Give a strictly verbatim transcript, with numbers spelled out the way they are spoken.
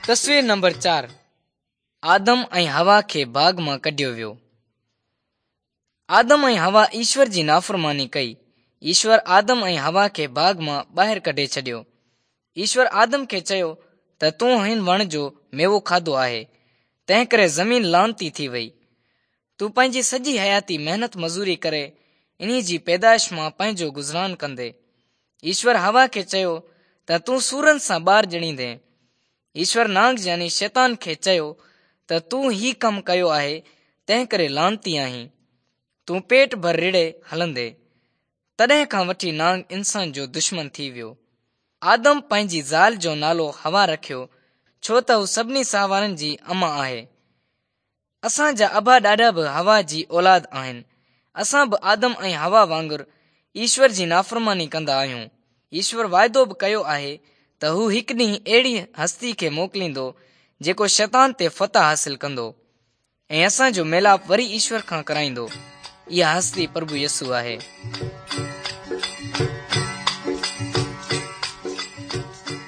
تصوير نمبر چار آدم ۽ حوا کي باغ مان ڪڍيو ويو. آدم ۽ حوا ايشور جي نافرماني ڪئي. ايشور آدم ۽ حوا کي باغ مان ٻاهر ڪڍي ڇڏيو. ايشور آدم کي چيو ته تون هن وڻ جو ميوو کاڌو آهي، تنهن ڪري زمين لعنتي ٿي وئي. تون پنهنجي سڄي حياتي محنت مزوري ڪري انهي جي پيدائش مان پنهنجو گذران ڪندي. ايشور حوا کي چيو ته تون سورن سان ٻار ڄڻيندين. ايشور نانگ يعني شيطان کي چيو ته تون هي ڪم ڪيو آهي، تنهن ڪري لعنتي آهين. تون پيٽ ڀر رڙهي هلندي. تڏهن کان وٺي نانگ انسان جو دشمن ٿي ويو. آدم پنهنجي زال جو نالو حوا رکيو، ڇو ته هو سڀني ساهوارن جي امان آهي. اسان جا ابا ڏاڏا به حوا جي اولاد آهن. اسان به آدم ۽ حوا وانگر ايشور جي نافرماني ڪندا آهيون. ايشور واعدو به ڪيو آهي ته هو هڪ ڏينهن اهڙي هستي کي موڪليندو جيڪو شيطان تي فتح حاصل ڪندو ۽ اسان جو ميلاپ وري ايشور کان ڪرائيندو. اها هستي پرڀو يسوع آهي.